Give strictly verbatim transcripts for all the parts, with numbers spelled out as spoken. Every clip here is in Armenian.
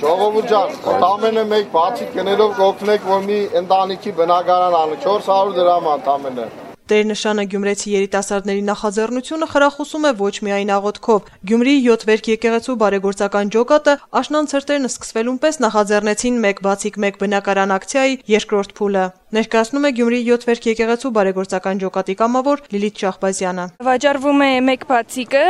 Ժողովուրդ ջան, ընդամենը մեկ բացիկ գներով կօգնեք, որ մի ընտանիքի բնակարան անը, չորս հարյուր դրամ ընդամենը։ Տերնշանը գյումրեցի երիտասարդների նախաձեռնությունը խրախուսում է ոչ միայն աղոթքով։ Գյումրիի յոթ վերք եկեղեցու բարեգործական ջոկատը աշնան ցրտերն սկսվելուն պես նախաձեռնեցին մեկ բացիկ մեկ բնակարան ակցիայի երկրորդ փուլը։ Ներկայացնում է Գյումրիի յոթ վերք եկեղեցու բարեգործական ջոկատի կամավոր Լիլիթ Շահբազյանը։ Վաճառվում է մեկ բացիկը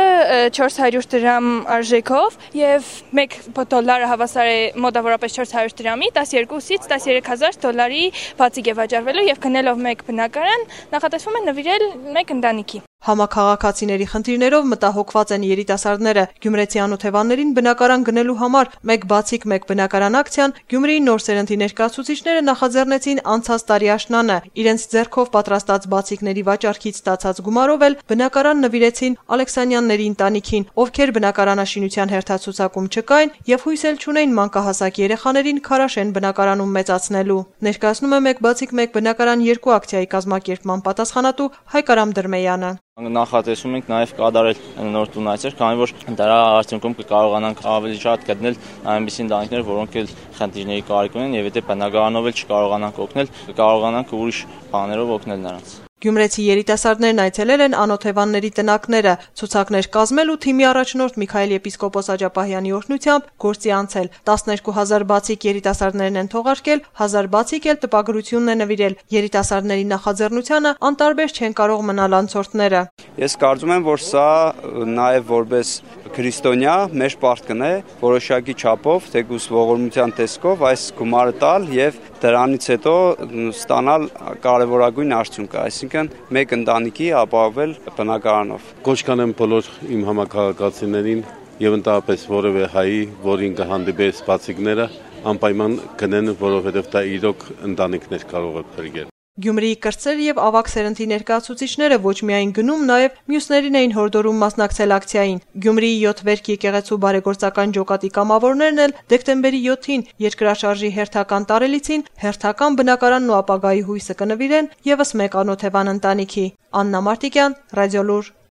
չորս հարյուր դրամ արժեքով եւ մեկ դոլարը հավասար է մոտավորապես չորս հարյուր դրամի, տասներկուսից տասներեք հազար դոլարի բացիկ է վաճառվելու եւ գնելով մեկ բնակարան նախատեսվում է նվիրել մեկ ընտանիքի։ Համաքաղաքացիների խնդիրներով մտահոգված են երիտասարդները։ Գյումրեցի անօթևաններին բնակարան գնելու համար մեկ բացիկ մեկ բնակարան ակցիան Գյումրիի նոր սերնդի ներկայացուցիչները նախաձեռնեցին անցած տարի աշնանը։ Իրենց ձեռքով պատրաստած բացիկների վաճառքից ստացած գումարով էլ բնակարան նվիրեցին Ալեքսանյանների ընտանիքին, ովքեր բնակարանաշինության հերթացուցակում չկային եւ հույս էլ չունեին մանկահասակ երեխաներին Քարաշեն բնակարանում մեծացնելու։ Ներկայացնում է մեկ բացիկ մեկ բնակարան երկու ակցիայի կազմակերպման պատասխանատու Հայկ Արամ Դրմեյանը։ Նախատեսում ենք նաև կատարել նոր տունայցեր, քանի որ դրա արդյունքում կկարողանանք ավելի շատ գտնել այնպիսի ընտանիքներ, որոնք էլ խնդիրների կարիք ունեն եւ եթե բնակարանով էլ չկարողանանք օգնել, կկարողանանք ուրիշ բաներով օգնել նրանց։ Գյումրեցի երիտասարդներն այցելել են անօթևանների տնակները, ցուցակներ կազմել ու թիմի առաջնորդ Միքայել եպիսկոպոս Աջափահյանի օրհնությամբ գործի անցել։ տասներկու հազար բացիկ երիտասարդներն են թողարկել, հազար բացիկ էլ տպագրությունն է նվիրել։ Երիտասարդների նախաձեռնությանը անտարբեր չեն կարող մնալ անցորդները։ Ես կարծում եմ, որ սա նաև որպես քրիստոնյա մեր պարտքն է որոշակի չափով, թեկուզ ողորմության տեսքով այս գումարը տալ եւ դրանից հետո ստանալ կարևորագույն արդյունքը, այսինքն մեկ ընտանիքի ապահովել բնակարանով։ Կոչ կանեմ բոլոր իմ համակարգացիներին եւ ընդհանրապես որևէ հայի, որին կհանդիպես բացիկները, անպայման գնեն, որովհետեւ դա իրոք ընտանիքներ կարող է փրկել։ Գյումրիի կրտսեր եւ ավագ սերնդի ներկայացուցիչները ոչ միայն գնում, նաեւ մյուսներին էին հորդորում մասնակցել ակցիային։ Գյումրիի յոթ վերք եկեղեցու բարեգործական ջոկատի կամավորներն էլ դեկտեմբերի յոթին երկրաշարժի հերթական տարելիցին հերթական բնակարանն ու ապագայի հույսը կնվիրեն եւս մեկ անօթևան ընտանիքի։ Աննա Մարտիկյան, Ռադիոլուր։